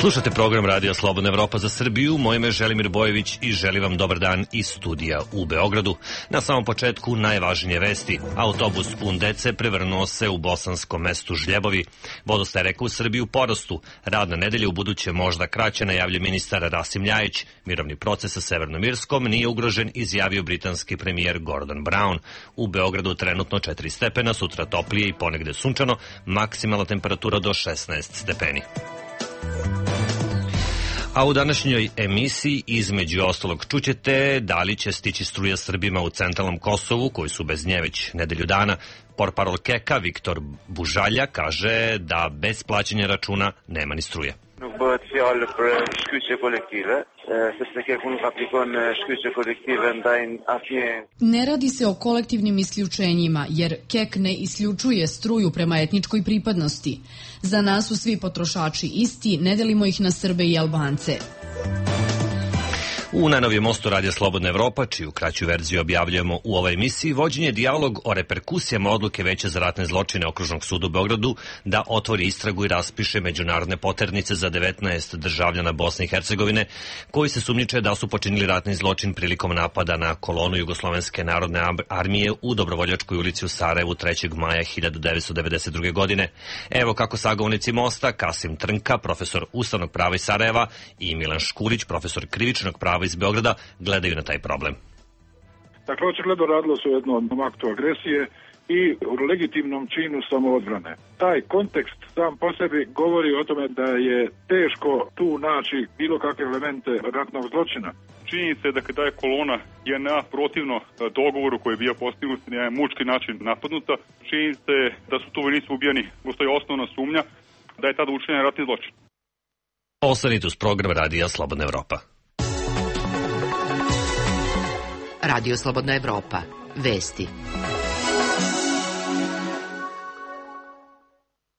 Slušate program Radija Slobodna Evropa za Srbiju. Moje ime je Želimir Bojević i želim vam dobar dan iz studija u Beogradu. Na samom početku najvažnije vesti. Autobus pun dece prevrnuo se u bosanskom mestu Žljebovi. Vodostaj reka u Srbiji u porastu. Radna nedelja u buduće možda kraće, najavlja ministar Rasim Ljajić. Mirovni proces sa Severnom Irskom nije ugrožen, izjavio britanski premijer Gordon Brown. U Beogradu trenutno 4 stepena, sutra toplije i ponegde sunčano, maksimalna temperatura do 16 stepeni. A u današnjoj emisiji između ostalog čućete da li će stići struja Srbima u centralnom Kosovu, koji su bez nje već nedelju dana. Portparol Keka Viktor Bužalja kaže da bez plaćanja računa nema ni struje. Nuk bëhet fjalë për shkyqje kolektive, sepse Keku nuk aplikon shkyqje kolektive ndaj asnjë. Ne radi se o kolektivnim isključenjima, jer Kek ne isključuje struju prema etničkoj pripadnosti. Za nas su svi potrošači isti, ne delimo ih na Srbe i Albance. U najnovijem mostu Radija Slobodna Evropa, čiju kraću verziju objavljujemo u ovoj emisiji, vođen je dijalog o reperkusijama odluke Veća za ratne zločine Okružnog suda u Beogradu da otvori istragu i raspiše međunarodne poternice za 19 državljana Bosne i Hercegovine, koji se sumnjiče da su počinili ratni zločin prilikom napada na kolonu Jugoslovenske narodne armije u Dobrovoljačkoj ulici u Sarajevu 3. maja 1992. godine. Evo kako sagovornici mosta, Kasim Trnka, profesor ustavnog prava iz Sarajeva, i Milan Škulić, profesor krivičnog prava iz Beograda, gledaju na taj problem. Dakle, očigledno radilo se o jednom aktu agresije i u legitimnom činu samoodbrane. Taj kontekst sam po sebi govori o tome da je teško tu naći bilo kakve elemente ratnog zločina. Činjenica je da je kolona JNA protivno dogovoru koji je bio postignut na jedan mučki način napadnuta. Činjenica je da su tu vojnici ubijeni. Postoji osnovna sumnja da je tada učinjen ratni zločin. Ostanite uz program Radija Slobodna Evropa. Radio Slobodna Evropa. Vesti.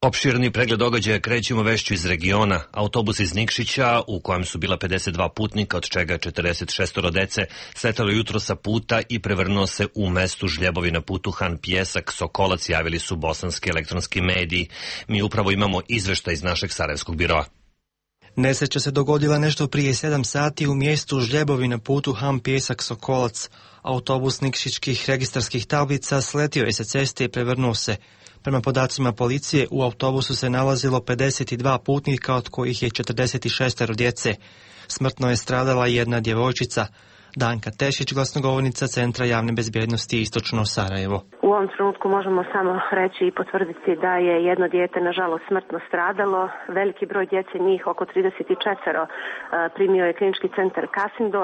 Opširni pregled događaja krećemo vešću iz regiona. Autobus iz Nikšića, u kojem su bila 52 putnika, od čega 46 dece, sletalo jutro sa puta i prevrnuo se u mestu Žljebovi na putu Han Pjesak Sokolac, javili su bosanski elektronski mediji. Mi upravo imamo izveštaj iz našeg sarajevskog biroa. Nesreća se dogodila nešto prije 7 sati u mjestu Žljebovi na putu Han Pjesak Sokolac. Autobus nikšićkih registarskih tablica sletio je sa ceste i prevrnuo se. Prema podacima policije, u autobusu se nalazilo 52 putnika, od kojih je 46 djece. Smrtno je stradala jedna djevojčica. Danka Tešić, glasnogovornica Centra javne bezbjednosti Istočno Sarajevo. U ovom trenutku možemo samo reći i potvrditi da je jedno dijete nažalost smrtno stradalo. Veliki broj djece, njih oko 34, primio je klinički centar Kasindo.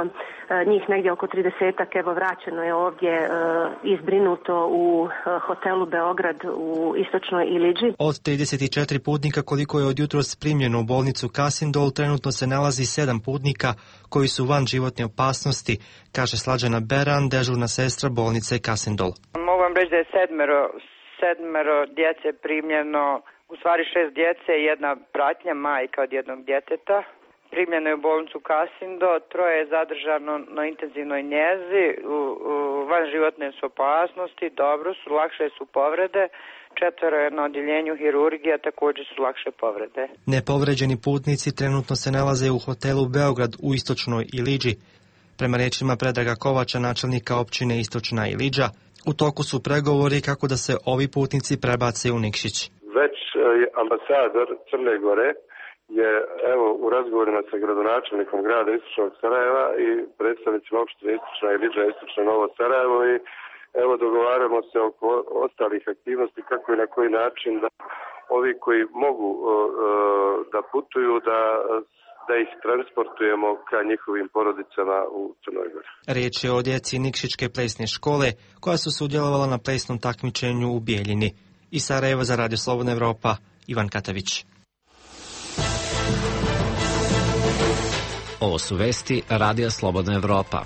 Njih negdje oko 30-ak, evo vraćeno je ovdje izbrinuto u hotelu Beograd u Istočnoj Iliđi. Od 34 putnika koliko je od jutros primljeno u bolnicu Kasindol, trenutno se nalazi 7 putnika koji su van životne opasnosti, kaže Slađana Beran, dežurna sestra bolnice Kasindol. Mogu vam reći da je sedmero djece primljeno, u stvari 6 djece i jedna pratnja, majka od jednog djeteta. Primljeno je u bolnicu Kasindo, 3 je zadržano na intenzivnoj njezi, van životne su opasnosti, dobro su, lakše su povrede. 4 je na odjeljenju hirurgija, također su lakše povrede. Nepovređeni putnici trenutno se nalaze u hotelu Beograd u Istočnoj Iliđi. Prema riječima Predraga Kovača, načelnika općine Istočna Iliđa, u toku su pregovori kako da se ovi putnici prebace u Nikšić. Već ambasador Crne Gore je u razgovorima sa gradonačelnikom grada Istočnog Sarajeva i predstavnicima opštine Istočna Iliđa, Istočno Novo Sarajevo i dogovaramo se oko ostalih aktivnosti kako i na koji način da ovi koji mogu da putuju da ih transportujemo ka njihovim porodicama u Crnoj Gori. Riječ je o djeci Nikšićke plesne škole koja su sudjelovala na plesnom takmičenju u Bijeljini. Iz Sarajeva za Radio Slobodna Evropa, Ivan Katavić. Ovo su vesti Radija Slobodna Evropa.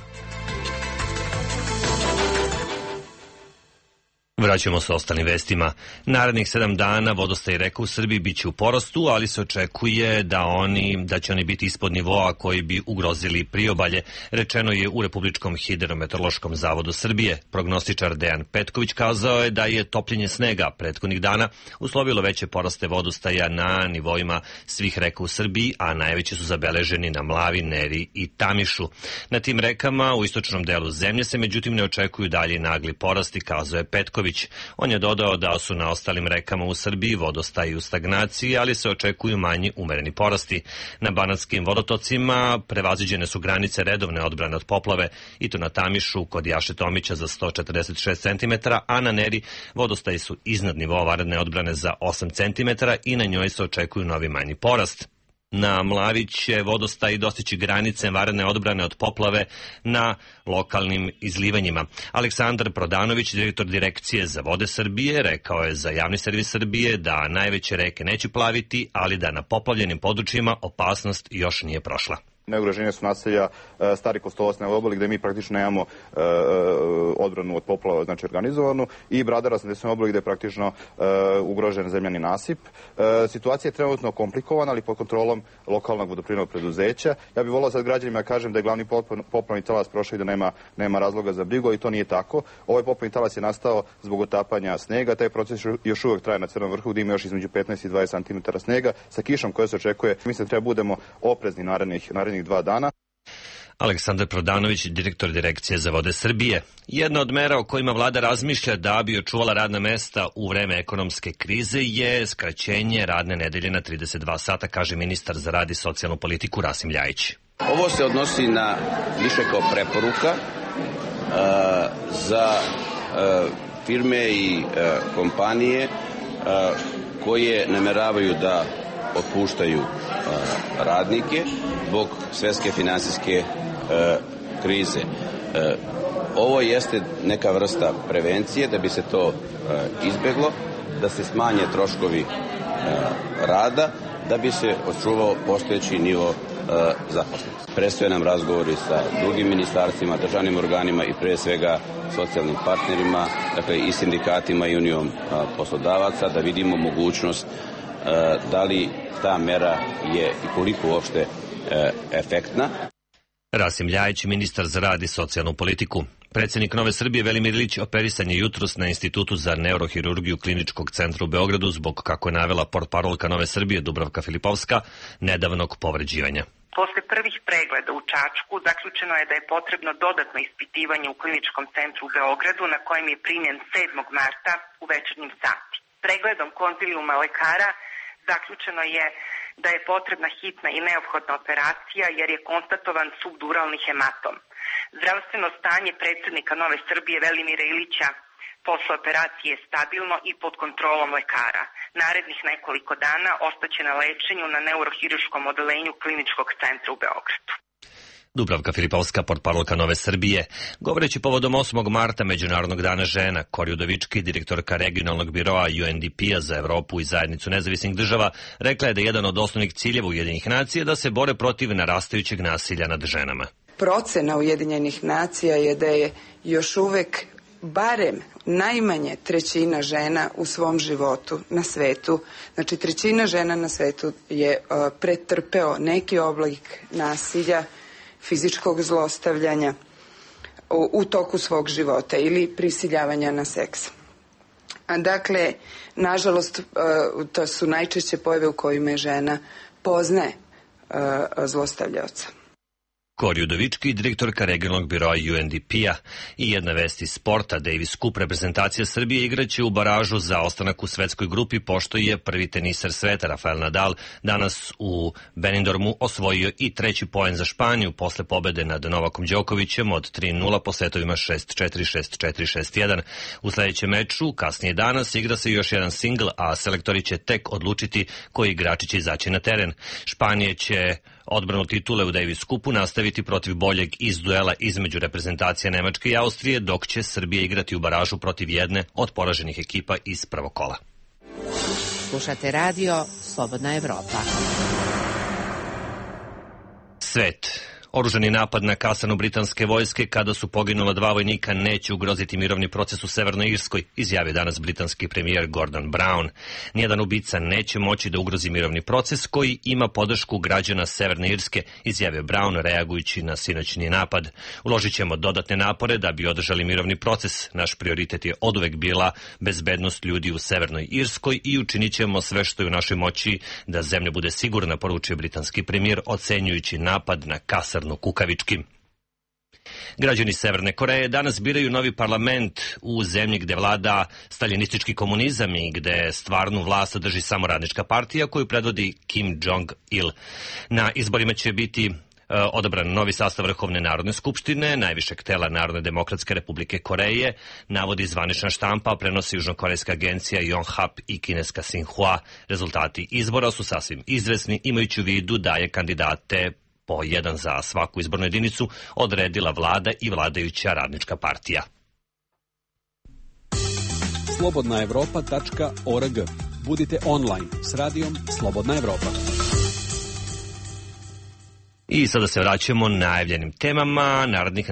Vraćamo se ostalim vestima. Narednih 7 dana vodostaj reka u Srbiji biće u porastu, ali se očekuje da će oni biti ispod nivoa koji bi ugrozili priobalje, rečeno je u Republičkom hidrometeorološkom zavodu Srbije. Prognostičar Dejan Petković kazao je da je topljenje snega prethodnih dana uslovilo veće poraste vodostaja na nivoima svih reka u Srbiji, a najveći su zabeleženi na Mlavi, Neri i Tamišu. Na tim rekama u istočnom delu zemlje se međutim ne očekuju dalje nagli porasti, kazao je Petković. On je dodao da su na ostalim rekama u Srbiji vodostaji u stagnaciji, ali se očekuju manji umereni porasti. Na banatskim vodotocima prevaziđene su granice redovne odbrane od poplave, i to na Tamišu kod Jaše Tomića za 146 cm, a na Neri vodostaji su iznad nivoa vanredne odbrane za 8 cm i na njoj se očekuju novi manji porast. Na Mlavi će vodostaj dostići granice vanredne odbrane od poplave na lokalnim izlivanjima. Aleksandar Prodanović, direktor Direkcije za vode Srbije, rekao je za Javni servis Srbije da najveće reke neće plaviti, ali da na poplavljenim područjima opasnost još nije prošla. Najugroženije su naselja Stari Kostolac na obali gde mi praktično nemamo odbranu od poplava, znači organizovanu, i Bradara na obali gde je praktično ugrožen zemljani nasip. Situacija je trenutno komplikovana, ali pod kontrolom lokalnog vodoprivrednog preduzeća. Ja bih volao sad građanima da kažem da je glavni poplavni talas prošao i da nema razloga za brigu, i to nije tako. Ovaj poplavni talas je nastao zbog otapanja snega. Taj proces još uvek traje na Crnom vrhu gde ima još između 15 i 20 cm snega sa kišom koja se očekuje. Mislim da treba budemo oprezni narednih 2 dana. Aleksandar Prodanović, direktor Direkcije za vode Srbije. Jedna od mera o kojima vlada razmišlja da bi očuvala radna mesta u vreme ekonomske krize je skraćenje radne nedelje na 32 sata, kaže ministar za rad i socijalnu politiku Rasim Ljajić. Ovo se odnosi na više kao preporuka za firme i kompanije koje nameravaju da otpuštaju radnike zbog svetske finansijske krize. Ovo jeste neka vrsta prevencije da bi se to izbeglo, da se smanje troškovi rada, da bi se očuvao postojeći nivo zaposlenosti. Predstoje nam razgovori sa drugim ministarstvima, državnim organima i pre svega socijalnim partnerima, dakle i sindikatima i unijom poslodavaca, da vidimo mogućnost da li ta mera je i koliko uopšte efektna. Rasim Ljajić, ministar za rad i socijalnu politiku. Predsjednik Nove Srbije Velimir Ilić operisan je jutros na Institutu za neurohirurgiju Kliničkog centra u Beogradu zbog, kako je navela portparolka Nove Srbije Dubravka Filipovska, nedavnog povređivanja. Posle prvih pregleda u Čačku zaključeno je da je potrebno dodatno ispitivanje u Kliničkom centru u Beogradu, na kojem je primljen 7. marta u večernjim sati. Pregledom konzilijuma lekara zaključeno je da je potrebna hitna i neophodna operacija jer je konstatovan subduralni hematom. Zdravstveno stanje predsjednika Nove Srbije Velimira Ilića posle operacije je stabilno i pod kontrolom lekara. Narednih nekoliko dana ostaće na lečenju na neurohirurškom odeljenju Kliničkog centra u Beogradu. Dubravka Filipovska, portparolka Nove Srbije. Govoreći povodom 8. marta Međunarodnog dana žena, Kori Udovički, direktorka regionalnog biroa UNDP-a za Evropu i zajednicu nezavisnih država, rekla je da je jedan od osnovnih ciljeva Ujedinjenih nacija da se bore protiv narastajućeg nasilja nad ženama. Procena Ujedinjenih nacija je da je još uvek barem najmanje 1/3 žena u svom životu na svetu, znači 1/3 žena na svetu je pretrpeo neki oblik nasilja, fizičkog zlostavljanja u toku svog života ili prisiljavanja na seks. Dakle, nažalost, to su najčešće pojave u kojima žena poznaje zlostavljaoca. Kori Udovički, direktorka regionalnog biroa UNDP-a. I jedna vest iz sporta. Davis Cup reprezentacija Srbije igraće u baražu za ostanak u svetskoj grupi, pošto je prvi teniser sveta Rafael Nadal danas u Benidormu osvojio i 3. poen za Španiju posle pobede nad Novakom Đokovićem od 3-0 po setovima 6-4, 6-4, 6-1. U sledećem meču, kasnije danas, igra se još jedan singl, a selektori će tek odlučiti koji igrači će izaći na teren. Španija će odbranu titule u Davis Cupu nastaviti protiv boljeg iz duela između reprezentacije Nemačke i Austrije, dok će Srbija igrati u baražu protiv jedne od poraženih ekipa iz prvog kola. Slušate radio Slobodna Evropa. Svet. Oružani napad na kasarnu britanske vojske kada su poginula 2 vojnika neće ugroziti mirovni proces u Severnoj Irskoj, izjavio danas britanski premijer Gordon Brown. Nijedan ubica neće moći da ugrozi mirovni proces koji ima podršku građana Severne Irske, izjavio Brown reagujući na sinoćni napad. Uložit ćemo dodatne napore da bi održali mirovni proces. Naš prioritet je oduvek bila bezbednost ljudi u Severnoj Irskoj i učinit ćemo sve što je u našoj moći da zemlja bude sigurna, poručio britanski premijer ocenjujući napad na kasarnu kukavički. Građani Severne Koreje danas biraju novi parlament u zemlji gde vlada staljinistički komunizam i gde stvarnu vlast drži samo radnička partija koju predvodi Kim Jong-il. Na izborima će biti odabran novi sastav Vrhovne narodne skupštine, najvišeg tela Narodne demokratske republike Koreje, navodi zvanična štampa, prenosi južnokorejska agencija Yonhap i kineska Sinhua. Rezultati izbora su sasvim izvesni, imajući u vidu da je kandidate po jedan za svaku izbornu jedinicu odredila vlada i vladajuća radnička partija. slobodnaevropa.org. Budite online s radijom Slobodna Evropa. I sada se vraćamo najavljenim temama. Narednih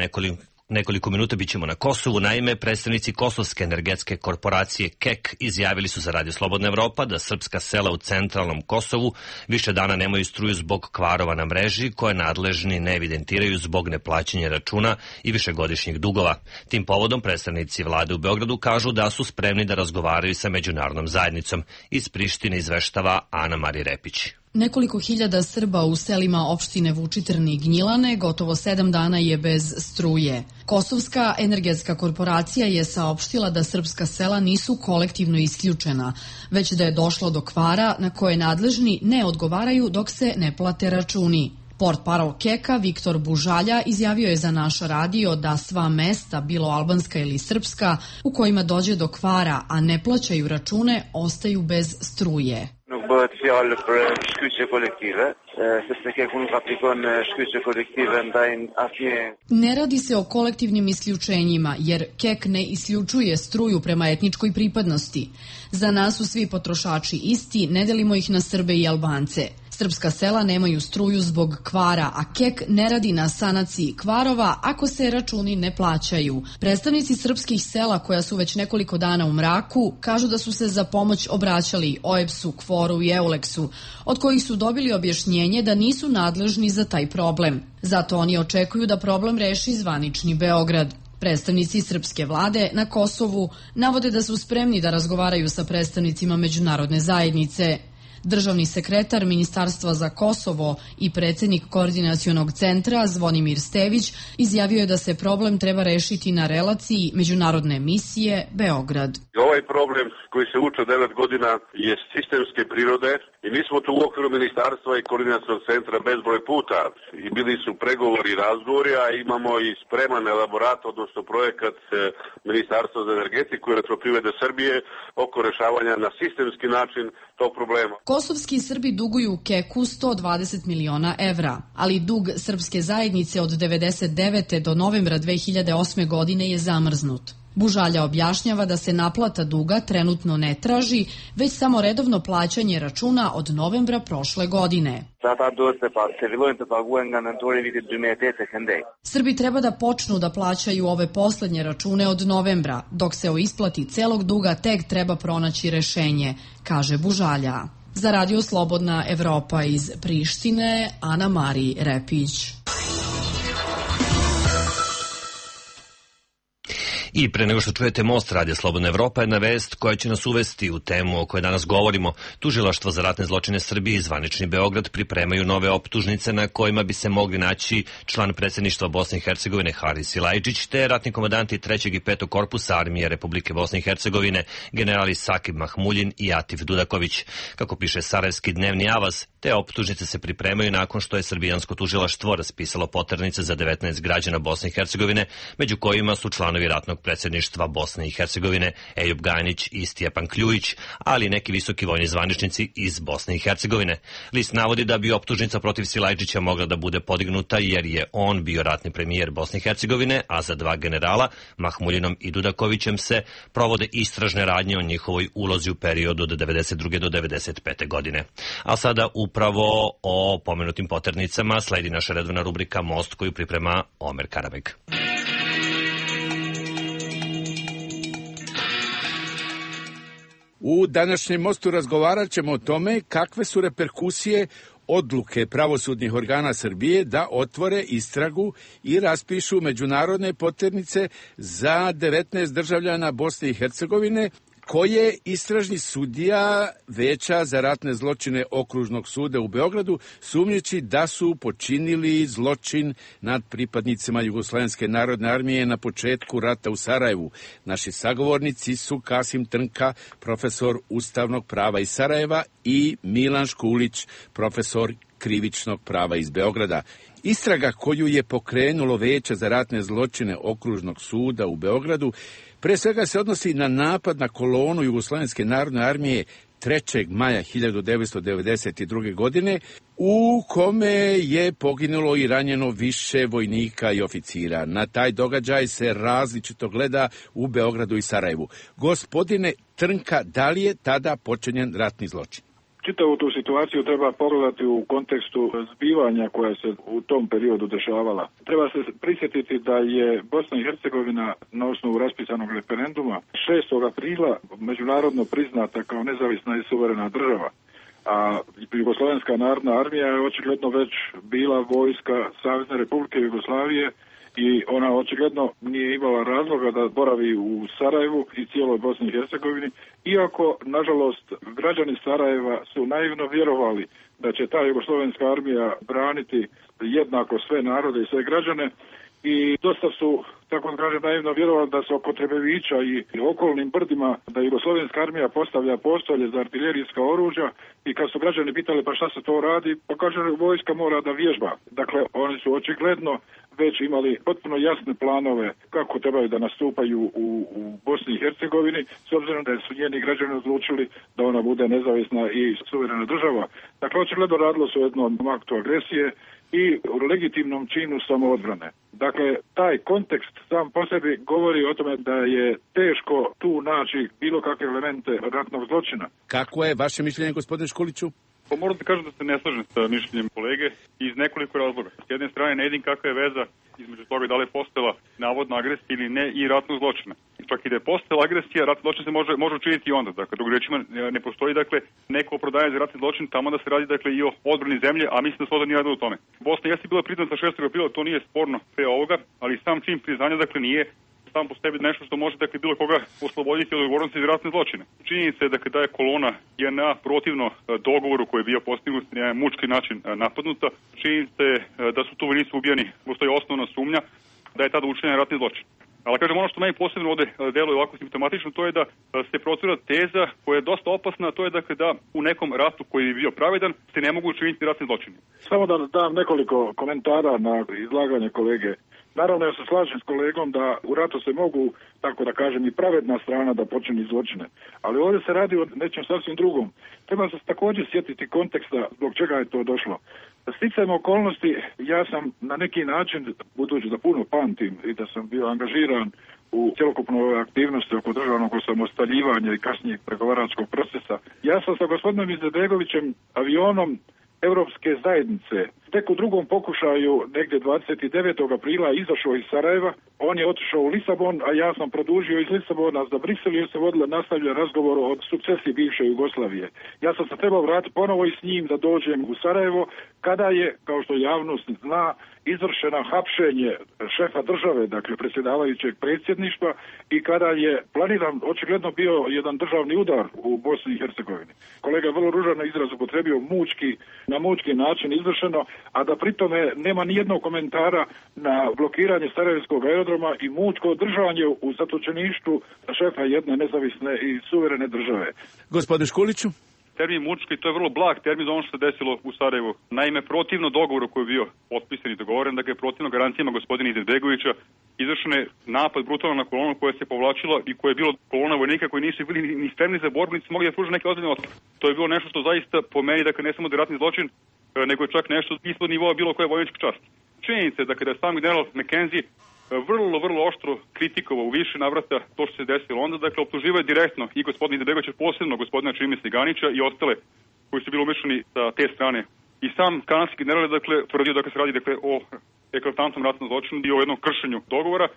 nekoliko minuta bit ćemo na Kosovu. Naime, predstavnici Kosovske energetske korporacije KEK izjavili su za Radio Slobodna Evropa da srpska sela u centralnom Kosovu više dana nemaju struju zbog kvarova na mreži koje nadležni ne evidentiraju zbog neplaćanja računa i višegodišnjih dugova. Tim povodom predstavnici vlade u Beogradu kažu da su spremni da razgovaraju sa međunarodnom zajednicom. Iz Prištine izveštava Ana Mari Repić. Nekoliko hiljada Srba u selima opštine Vučitrn i Gnjilane gotovo 7 dana je bez struje. Kosovska energetska korporacija je saopštila da srpska sela nisu kolektivno isključena, već da je došlo do kvara na koje nadležni ne odgovaraju dok se ne plate računi. Portparol KEK-a Viktor Bužalja izjavio je za naš radio da sva mesta, bilo albanska ili srpska, u kojima dođe do kvara, a ne plaćaju račune, ostaju bez struje. Nuk bëhet fjalë për shkyqje kolektive, sepse KEK-u nuk aplikon shkyqje kolektive ndaj asnjë. Ne radi se o kolektivnim isključenjima, jer KEK ne isključuje struju prema etničkoj pripadnosti. Za nas su svi potrošači isti, ne delimo ih na Srbe i Albance. Srpska sela nemaju struju zbog kvara, a KEK ne radi na sanaciji kvarova ako se računi ne plaćaju. Predstavnici srpskih sela koja su već nekoliko dana u mraku kažu da su se za pomoć obraćali OEBS-u, KFOR-u i EULEX-u, od kojih su dobili objašnjenje da nisu nadležni za taj problem. Zato oni očekuju da problem reši zvanični Beograd. Predstavnici srpske vlade na Kosovu navode da su spremni da razgovaraju sa predstavnicima međunarodne zajednice. Državni sekretar Ministarstva za Kosovo i predsjednik Koordinacionog centra Zvonimir Stević izjavio je da se problem treba rešiti na relaciji međunarodne misije Beograd. Ovaj problem koji se uče 9 godina je sistemske prirode i mi smo tu u okviru Ministarstva i Koordinacionog centra bezbroj puta i bili su pregovori i razgovori, a imamo i spreman elaborat, odnosno projekat Ministarstva za energetiku i elektroprivrede Srbije oko rešavanja na sistemski način tog problema. Kosovski Srbi duguju KEK-u 120 miliona evra, ali dug srpske zajednice od 1999. do novembra 2008. godine je zamrznut. Bužalja objašnjava da se naplata duga trenutno ne traži, već samo redovno plaćanje računa od novembra prošle godine. Srbi treba da počnu da plaćaju ove poslednje račune od novembra, dok se o isplati celog duga tek treba pronaći rešenje, kaže Bužalja. Za Radio Slobodna Evropa iz Prištine, Ana Mari Repić. I pre nego što čujete Most Radio Slobodna Evropa, jedna vest koja će nas uvesti u temu o kojoj danas govorimo. Tužilaštvo za ratne zločine Srbije i zvanični Beograd pripremaju nove optužnice na kojima bi se mogli naći član predsjedništva Bosne i Hercegovine Haris Silajdžić te ratni komandanti 3. i 5. korpusa Armije Republike Bosne i Hercegovine generali Sakib Mahmuljin i Atif Dudaković. Kako piše Sarajevski dnevni avaz, te optužnice se pripremaju nakon što je srbijansko tužilaštvo raspisalo poternice za 19 građana Bosne i Hercegovine, među kojima su članovi ratnog predsjedništva Bosne i Hercegovine Ejub Gajnić i Stjepan Kljujić, ali i neki visoki vojni zvaničnici iz Bosne i Hercegovine. List navodi da bi optužnica protiv Silajđića mogla da bude podignuta jer je on bio ratni premijer Bosne i Hercegovine, a za dva generala, Mahmuljinom i Dudakovićem, se provode istražne radnje o njihovoj ulozi u periodu od 92. do 95. godine. A sada upravo o pomenutim poternicama sledi naša redovna rubrika Most koju priprema Omer Karabeg. U današnjem Mostu razgovarat ćemo o tome kakve su reperkusije odluke pravosudnih organa Srbije da otvore istragu i raspišu međunarodne poternice za 19 državljana Bosne i Hercegovine, koje istražni sudija Veća za ratne zločine Okružnog suda u Beogradu sumnjiči da su počinili zločin nad pripadnicima Jugoslovenske narodne armije na početku rata u Sarajevu. Naši sagovornici su Kasim Trnka, profesor ustavnog prava iz Sarajeva, i Milan Škulić, profesor krivičnog prava iz Beograda. Istraga koju je pokrenulo Veće za ratne zločine Okružnog suda u Beogradu pre svega se odnosi na napad na kolonu Jugoslovenske narodne armije 3. maja 1992. godine, u kome je poginulo i ranjeno više vojnika i oficira. Na taj događaj se različito gleda u Beogradu i Sarajevu. Gospodine Trnka, da li je tada počinjen ratni zločin? Čitavu tu situaciju treba pogledati u kontekstu zbivanja koja se u tom periodu dešavala. Treba se prisjetiti da je Bosna i Hercegovina na osnovu raspisanog referenduma 6. aprila međunarodno priznata kao nezavisna i suverena država. A Jugoslovenska narodna armija je očigledno već bila vojska Savezne Republike Jugoslavije i ona očigledno nije imala razloga da boravi u Sarajevu i cijeloj Bosni i Hercegovini, iako, nažalost, građani Sarajeva su naivno vjerovali da će ta Jugoslovenska armija braniti jednako sve narode i sve građane, i dosta su, tako da kažem, naivno vjerovali da se oko Trebevića i okolnim brdima da Jugoslovenska armija postavlja postolje za artiljerijska oružja, i kad su građani pitali pa šta se to radi, pa kaže vojska mora da vježba. Dakle, oni su očigledno već imali potpuno jasne planove kako trebaju da nastupaju u Bosni i Hercegovini, s obzirom da su njeni građani odlučili da ona bude nezavisna i suverena država. Dakle, očigledno radilo se o jednom aktu agresije i u legitimnom činu samoodbrane. Dakle, taj kontekst sam po sebi govori o tome da je teško tu naći bilo kakve elemente ratnog zločina. Kako je vaše mišljenje, gospodine Škuliću? Pa moram da kažem da se ne slažem sa mišljenjem kolege iz nekoliko razloga. S jedne strane ne vidim kakva je veza između toga da li je postojala navodna agresija ili ne i ratnog zločina. Čak i da je postojala agresija, ratni zločin se može učiniti i onda. Dakle, drugim rečima ne postoji neko opravdanje za ratni zločin tamo da se radi i o odbrani zemlje, a mislim da se ovdje nije radilo o tome. Bosna jeste bila priznata 6. aprila, to nije sporno pre ovoga, ali sam čin priznanja nije sam po sebi nešto što može bilo koga osloboditi od odgovornosti za ratne zločine. Činjenica je da je kolona JNA protivno dogovoru koji je bio postignut na jedan mučki način napadnuta. Činjenica je da su tu vojnici ubijeni, postoji osnovna sumnja da je tada učinjen ratni zločin. Ali kažem, ono što meni posebno ovdje deluje ovako simptomatično, to je da se procura teza koja je dosta opasna, a to je da u nekom ratu koji je bio pravedan se ne mogu učiniti ratni zločini. Samo da dam nekoliko komentara na izlaganje kolege. Naravno, ja se slažem s kolegom da u ratu se mogu, tako da kažem, i pravedna strana da počini zločine. Ali ovdje se radi o nečem sasvim drugom. Treba se također sjetiti konteksta zbog čega je to došlo. Sticajem okolnosti, ja sam na neki način, budući da puno pamtim i da sam bio angažiran u cjelokupnoj aktivnosti oko državnog osamostaljivanja i kasnijeg pregovaračkog procesa, ja sam sa gospodinom Izetbegovićem avionom Europske zajednice tek u drugom pokušaju, negdje 29. aprila, izašao iz Sarajeva. On je otišao u Lisabon, a ja sam produžio iz Lisabona za Brisel jer se nastavlja razgovor o sukcesiji bivše Jugoslavije. Ja sam se trebao vratiti ponovo i s njim da dođem u Sarajevo, kada je, kao što javnost zna, izvršeno hapšenje šefa države, dakle predsjedavajućeg predsjedništva, i kada je planiran očigledno bio jedan državni udar u Bosni i Hercegovini. Kolega vrlo ružan izraz upotrebio na mučki način izvršeno, a da pritome nema ni jednog komentara na blokiranje Sarajevskog aerodroma i mučko održavanje u zatočeništvu šefa jedne nezavisne i suverene države. Gospodine Škuliću? termin mučki, to je vrlo blag termin za ono što se desilo u Sarajevu. Naime, protivno dogovoru koji je bio potpisan i dogovoren, dakle protivno garancijama gospodina Izetbegovića, izvršen je napad brutalno na kolonu koja se povlačila i koja je bilo kolona vojnika koji nisu bili ni spremni za borbu, niti mogli da pruže neke ozbiljne otpore. To je bilo nešto što zaista po meni, dakle ne samo da je ratni zločin, nego je čak nešto ispod nivoa bilo koje vojničke časti. Činjenica je da je sam general McKenzie vrlo oštro kritikovao u više navrata to što se desilo onda, dakle optuživao je direktno i gospodina Izetbegovića, posebno gospodina Čime Sliganića i ostale koji su bili umešani sa te strane. I sam kanadski general je dakle tvrdio da se radi o eklatantnom ratnom zločinu i o jednom kršenju dogovora.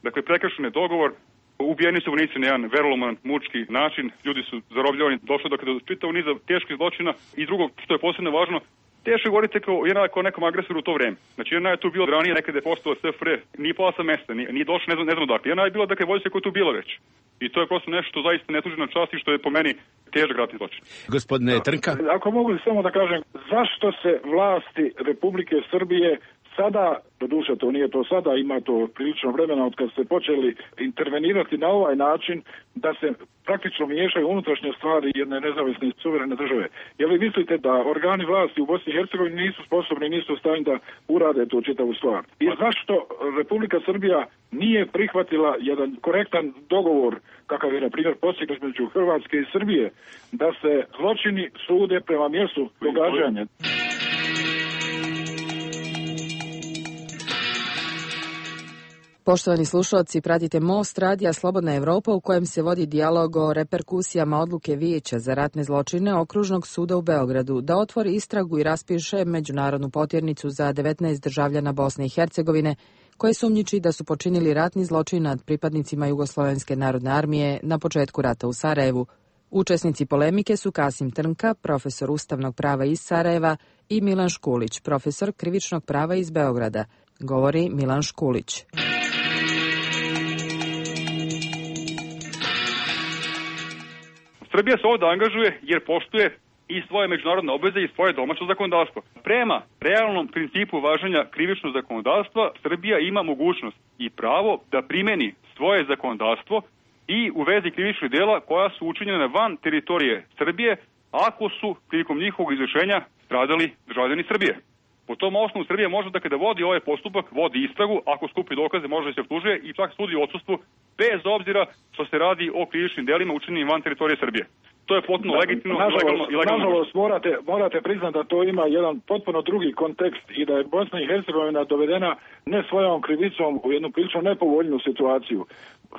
Dakle, prekršen je dogovor, ubijeni su vojnici na jedan veroloman, mučki način, ljudi su zarobljavani, došlo do čitavog niza teških zločina i drugo što je posebno važno, teško govorite kao nekom agresoru u to vreme. Znači, jedna je tu bilo ranije, nekada je postao SFRJ, nije pala sa mesta, nije došlo, ne znam odakle. Jedna je bila, dakle, vojska koja je tu bila već. I to je prosto nešto što zaista ne tuži na čast i što je po meni težak ratni zločin. Gospodine Trnka. Ako mogu samo da kažem, zašto se vlasti Republike Srbije sada, doduše to nije to sada, ima to prilično vremena od kad ste počeli intervenirati na ovaj način da se praktično miješaju unutrašnje stvari jedne nezavisne suverene države. Jel vi mislite da organi vlasti u Bosni i Hercegovini nisu sposobni, nisu u stanju da urade tu čitavu stvar? I zašto Republika Srbija nije prihvatila jedan korektan dogovor, kakav je na primjer postignut između Hrvatske i Srbije, da se zločini sude prema mjestu događanja? Poštovani slušalci, pratite Most radija Slobodna Evropa u kojem se vodi dijalog o reperkusijama odluke Vijeća za ratne zločine Okružnog suda u Beogradu da otvori istragu i raspiše međunarodnu potjernicu za 19 državljana Bosne i Hercegovine koje sumnjiči da su počinili ratni zločin nad pripadnicima Jugoslovenske narodne armije na početku rata u Sarajevu. Učesnici polemike su Kasim Trnka, profesor ustavnog prava iz Sarajeva, i Milan Škulić, profesor krivičnog prava iz Beograda. Govori Milan Škulić. Srbija se ovdje angažuje jer poštuje i svoje međunarodne obveze i svoje domaće zakonodavstvo. Prema realnom principu važenja krivičnog zakonodavstva, Srbija ima mogućnost i pravo da primeni svoje zakonodavstvo i u vezi krivičnih dela koja su učinjene van teritorije Srbije, ako su prilikom njihovog izvršenja stradali državljani Srbije. Po tom osnovu Srbija može da kada vodi ovaj postupak, vodi istragu, ako skupi dokaze može da se optužuje i čak sudi u odsustvu, bez obzira što se radi o krivičnim delima učinjenim van teritorije Srbije. To je potpuno legitimno, legalno i legalno. Nažalost, morate priznati da to ima jedan potpuno drugi kontekst i da je Bosna i Hercegovina dovedena ne svojom krivicom u jednu prilično nepovoljnu situaciju.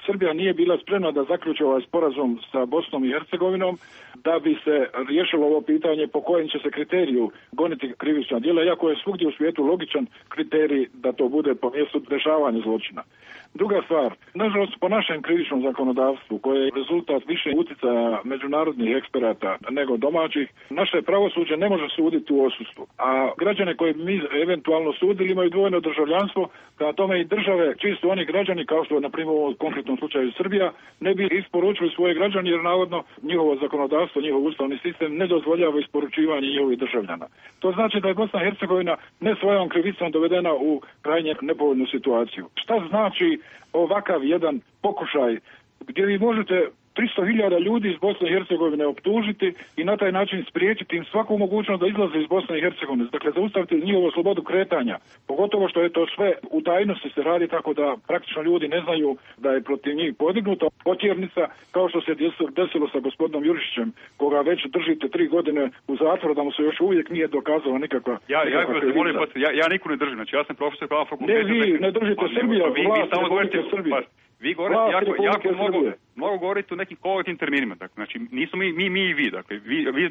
Srbija nije bila spremna da zaključi ovaj sporazum sa Bosnom i Hercegovinom da bi se riješilo ovo pitanje po kojem će se kriteriju goniti krivična djela, iako je svugdje u svijetu logičan kriterij da to bude po mjestu dešavanja zločina. Druga stvar, nažalost po našem krivičnom zakonodavstvu, koje je rezultat više utjecaja međunarodnih eksperata nego domaćih, naše pravosuđe ne može suditi u odsustvu. A građane koje mi eventualno sudili imaju dvojno državljanstvo, prema tome i države čiji su oni građani, kao što je na primjer u konkretnom slučaju Srbija, ne bi isporučili svoje građani jer navodno njihovo zakonodavstvo, njihov ustavni sistem ne dozvoljava isporučivanje njihovih državljana. To znači da je Bosna i Hercegovina ne svojom krivicom dovedena u krajnje nepovoljnu situaciju. Šta znači ovakav jedan pokušaj gdje vi možete 300.000 ljudi iz Bosne i Hercegovine optužiti i na taj način spriječiti im svaku mogućnost da izlaze iz Bosne i Hercegovine. Dakle, zaustaviti njihovu slobodu kretanja. Pogotovo što je to sve u tajnosti se radi, tako da praktično ljudi ne znaju da je protiv njih podignuta potjernica, kao što se desilo sa gospodinom Jurišićem, koga već držite 3 godine u zatvoru, da mu se još uvijek nije dokazala nikakva krivica. Ja niko ne držim, znači ja sam profesor prava fakulteta. Ne, vi ne držite Srbija, vlast Republike Srbije. Vi govorite jako mnogo govorite o nekim kolektivnim terminima. Dakle, znači, nismo mi i vi. Dakle,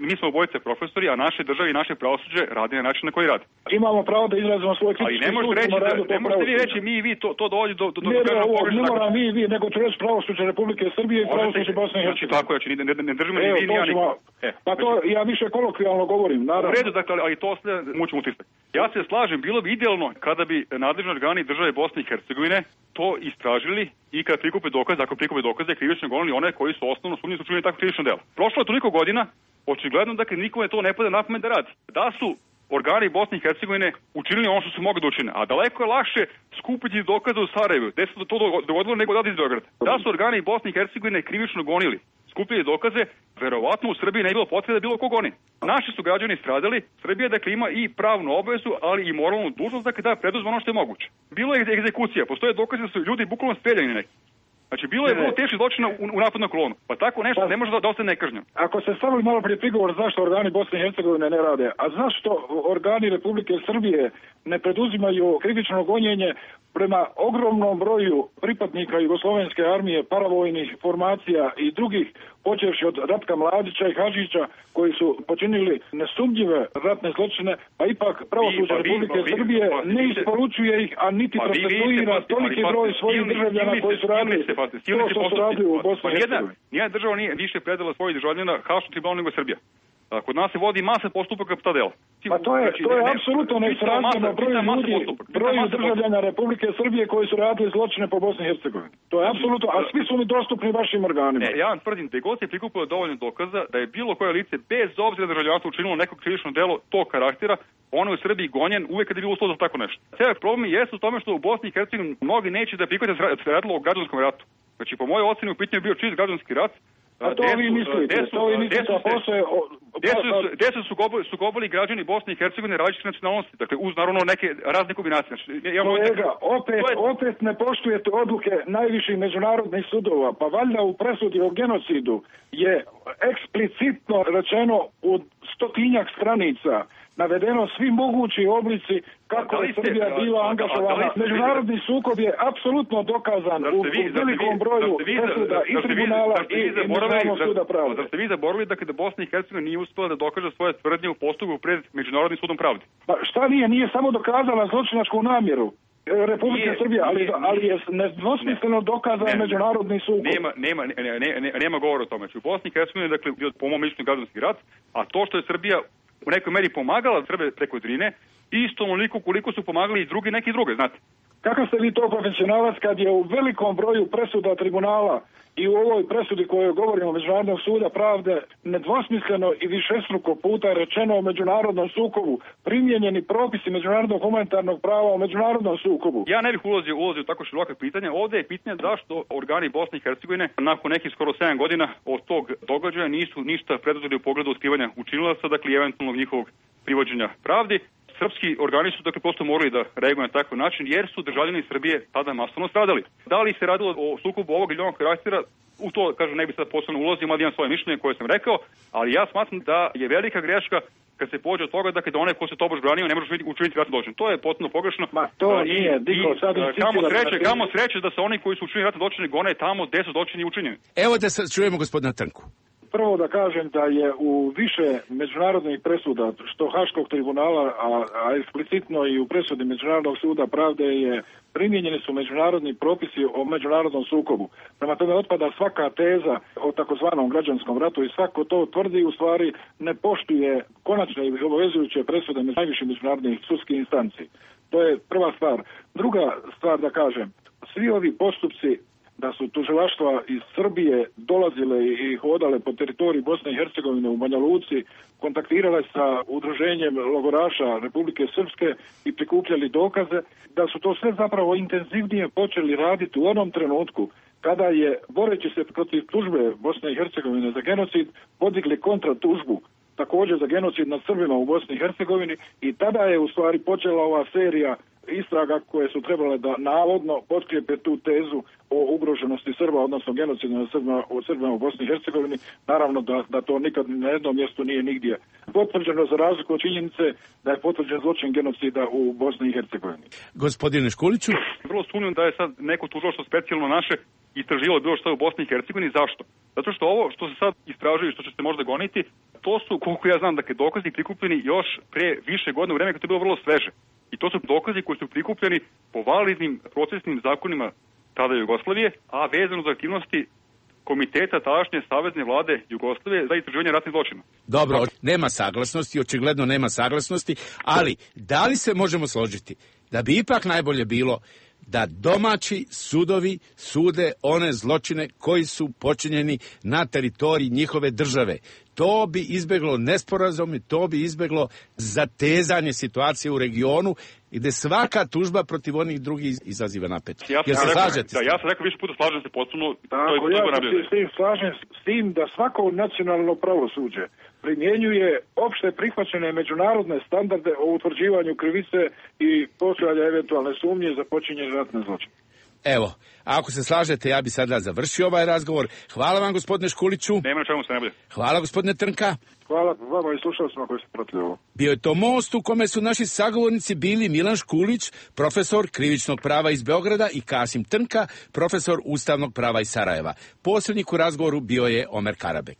mi smo obojice profesori, a naše države i naše pravosuđe radi na način na koji radi. Imamo pravo da izrazimo svoje kritičke sud. Ali ne možete vi reći mi i vi, to dovodi do ne moram mi i vi, nego ću reći pravosuđe Republike Srbije i pravosuđe Bosne i Hercegovine. Tako je, ne držimo ni vi ni ja niko. Pa to ja više kolokvijalno govorim, naravno. U redu, dakle, ali to sve mučimo utisak. Ja se slažem, bilo bi idealno kada bi nadležni organi države Bosne i Hercegovine to istražili i kada prikupe dokaze, ako prikupe dokaze, krivično gonili one koji su osnovno sumnji su učinili takvo krivično delo. Prošlo je toliko godina, očigledno dakle nikome to ne pada na pamet da radi. Da su organi Bosne i Hercegovine učinili ono što su mogli da učine, a daleko je lakše skupiti dokaze u Sarajevu, gde se to dogodilo nego da iz Beograda. Da su organi Bosne i Hercegovine krivično gonili, skupljali dokaze, verovatno u Srbiji ne bilo potrebe da bilo kog oni. Naši su građani stradali, Srbija dakle ima i pravnu obavezu, ali i moralnu dužnost da preduzme ono što je moguće. Bilo je egzekucija, postoje dokaze da su ljudi bukvalno streljani neki. Znači, bilo je vrlo teški zločina u napad na kolonu. Pa tako nešto ne može da ostane nekažnjeno. Ako se stavili malo prije prigovor zašto organi Bosne i Hercegovine ne rade, a zašto organi Republike Srbije ne preduzimaju krivično gonjenje prema ogromnom broju pripadnika Jugoslovenske armije, paravojnih formacija i drugih, počevši od Ratka Mladića i Hadžića, koji su počinili nesumnjive ratne zločine, pa ipak pravosuđe Republike Srbije ne isporučuje ih, a niti procesuira toliki broj svojih državljana koji su radili to što su radili u Bosni i Hercegovini. Nijedna država nije više predala svojih državljana Haškom tribunalu nego Srbija. Kod nas se vodi masa postupaka po ta dela. Pa to je apsolutno nesrazmjerno broju državljana Republike Srbije koji su radili zločine po Bosni i Hercegovini. To je apsolutno, a svi su mi dostupni vašim organima. Ja vam tvrdim da god se prikupilo dovoljno dokaza da je bilo koje lice bez obzira da državljanstvo učinilo neko krivično delo tog karaktera, ono je u Srbiji gonjen uvek kad je bilo uslov za tako nešto. Cijeli problem jeste u tome što u Bosni i Hercegovini mnogi neće da prihvate da se radilo o građanskom ratu. Znači, po mojoj oceni u pitanju je bio čist građanski rat. A to vi mislite, Gde su sukobili građani Bosne i Hercegovine različite nacionalnosti, dakle uz naravno neke razne kombinacije. Kolega, opet ne poštujete odluke najviših međunarodnih sudova, pa valjda u presudi o genocidu je eksplicitno rečeno u 100-tinjak stranica navedeno svi mogući oblici kako je Srbija bila angažovana. Međunarodni sukob je apsolutno dokazan u velikom broju presuda i tribunala i Međunarodnog suda pravde. Da ste vi zaboravili da Bosna i Hercegovina nije uspela da dokaže svoje tvrdnje u postupku pred Međunarodnim sudom pravde? Pa šta nije samo dokazala zločinačku namjeru Republike Srbije, ali je nedvosmisleno dokazan međunarodni sukob. Nema govora o tome. U Bosni i Hercegovini dakle bio po mom mišljenju građanski rat, a to što je Srbija u nekoj meri pomagala Srbe preko Drine, isto onoliko koliko su pomagali i neki druge, znate. Kakav ste vi to profesionalac kad je u velikom broju presuda tribunala i u ovoj presudi kojoj govorimo Međunarodnog suda pravde nedvosmisleno i višestruko puta rečeno o međunarodnom sukobu, primijenjeni propisi međunarodnog humanitarnog prava o međunarodnom sukobu? Ja ne bih ulazio u tako široka pitanja. Ovde je pitanje zašto organi Bosne i Hercegovine nakon nekih skoro 7 godina od tog događaja nisu ništa preduzeli u pogledu otkrivanja učinilaca, dakle eventualnog njihovog privođenja pravdi. Srpski organi su dakle prosto morali da reaguju na takav način jer su državljani Srbije tada masovno stradali. Da li se radilo o sukobu ovog ili onog karaktera, u to kažem ne bi sad posebno ulazio, ali imam svoje mišljenje koje sam rekao, ali ja smatram da je velika greška kad se pođe od toga da onaj ko se tobož branio ne može učiniti ratni zločin. To je potpuno pogrešno. To nije, Diko, sad kamo sreće da se oni koji su učinili ratni zločine gone tamo gde su zločini učinjeni. Evo da sad čujemo gospodina Trnku. Prvo da kažem da je u više međunarodnih presuda, što Haškog tribunala, a eksplicitno i u presudi Međunarodnog suda pravde je primijenjeni su međunarodni propisi o međunarodnom sukobu. Prema tome otpada svaka teza o takozvanom građanskom ratu i svako to tvrdi u stvari ne poštuje konačne i obavezujuće presude najviših međunarodnih sudskih instanci. To je prva stvar. Druga stvar da kažem, svi ovi postupci da su tužilaštva iz Srbije dolazile i hodale po teritoriji Bosne i Hercegovine u Banja Luci, kontaktirale sa udruženjem logoraša Republike Srpske i prikupljali dokaze, da su to sve zapravo intenzivnije počeli raditi u onom trenutku kada je, boreći se protiv tužbe Bosne i Hercegovine za genocid, podigli kontratužbu također za genocid nad Srbima u Bosni i Hercegovini i tada je u stvari počela ova serija istraga koje su trebale da navodno potkrijepe tu tezu o ugroženosti Srba, odnosno genocidu nad Srbima u Bosni i Hercegovini. Naravno da to nikad na jednom mjestu nije nigdje potvrđeno, za razliku od činjenice da je potvrđen zločin genocida u Bosni i Hercegovini. Gospodine Škuliću? Vrlo sumnjam da je sad neko tužilaštvo specijalno naše istraživalo bilo što u Bosni i Hercegovini. Zašto? Zato što ovo što se sad istražuje i što će se možda goniti, to su, koliko ja znam, dakle, dokazi prikupljeni još pre više godina u vreme kad je bilo vrlo sveže. I to su dokazi koji su prikupljeni po validnim procesnim zakonima tada Jugoslavije, a vezano za aktivnosti komiteta tadašnje savezne vlade Jugoslavije za istraživanje ratnih zločina. Dobro, nema saglasnosti, očigledno nema saglasnosti, ali da li se možemo složiti da bi ipak najbolje bilo da domaći sudovi sude one zločine koji su počinjeni na teritoriji njihove države. To bi izbeglo nesporazume, to bi izbeglo zatezanje situacije u regionu gde svaka tužba protiv onih drugih izaziva napetost. Ja sam rekao više puta, slažem se potpuno. Tako, ja se s tim slažem, s tim da svako nacionalno pravosuđe primjenjuje opšte prihvaćene međunarodne standarde o utvrđivanju krivice i postojanja eventualne sumnje za počinjenje ratne zločine. Evo, ako se slažete, ja bi sada završio ovaj razgovor. Hvala vam, gospodine Škuliću. Nema na čemu se ne bude. Hvala, gospodine Trnka. Hvala vama i slušalcima koji su pratili ovo. Bio je to Most u kome su naši sagovornici bili Milan Škulić, profesor krivičnog prava iz Beograda, i Kasim Trnka, profesor ustavnog prava iz Sarajeva. Posrednik u razgovoru bio je Omer Karabek.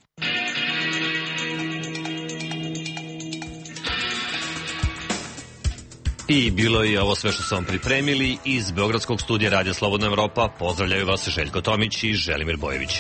I bilo je ovo sve što sam vam pripremili iz Beogradskog studija Radija Slobodna Evropa. Pozdravljaju vas Željko Tomić i Želimir Bojević.